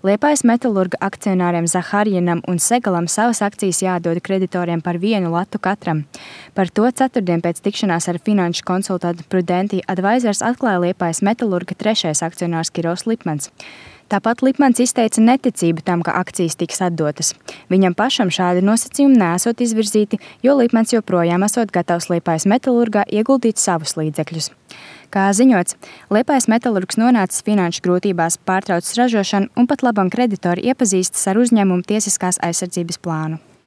Liepājas metalurga akcionāriem Zaharjinam un Segalam savas akcijas jādod kreditoriem par 1 latu katram. Par to ceturtdien pēc tikšanās ar finanšu konsultantu Prudential Advisors atklāja Liepājas metalurga 3. akcionārs Kirovs Lipmans. Tāpat Lipmans izteica neticību tam, ka akcijas tiks atdotas. Viņam pašam šādi nosacījumi neesot izvirzīti, jo Lipmans joprojām esot gatavs Liepājas metalurgā ieguldīt savus līdzekļus. Kā ziņots, Liepājas metalurgs nonācis finanšu grūtībās, pārtraucis ražošanu un pat labam kreditori iepazīstas ar uzņēmumu tiesiskās aizsardzības plānu.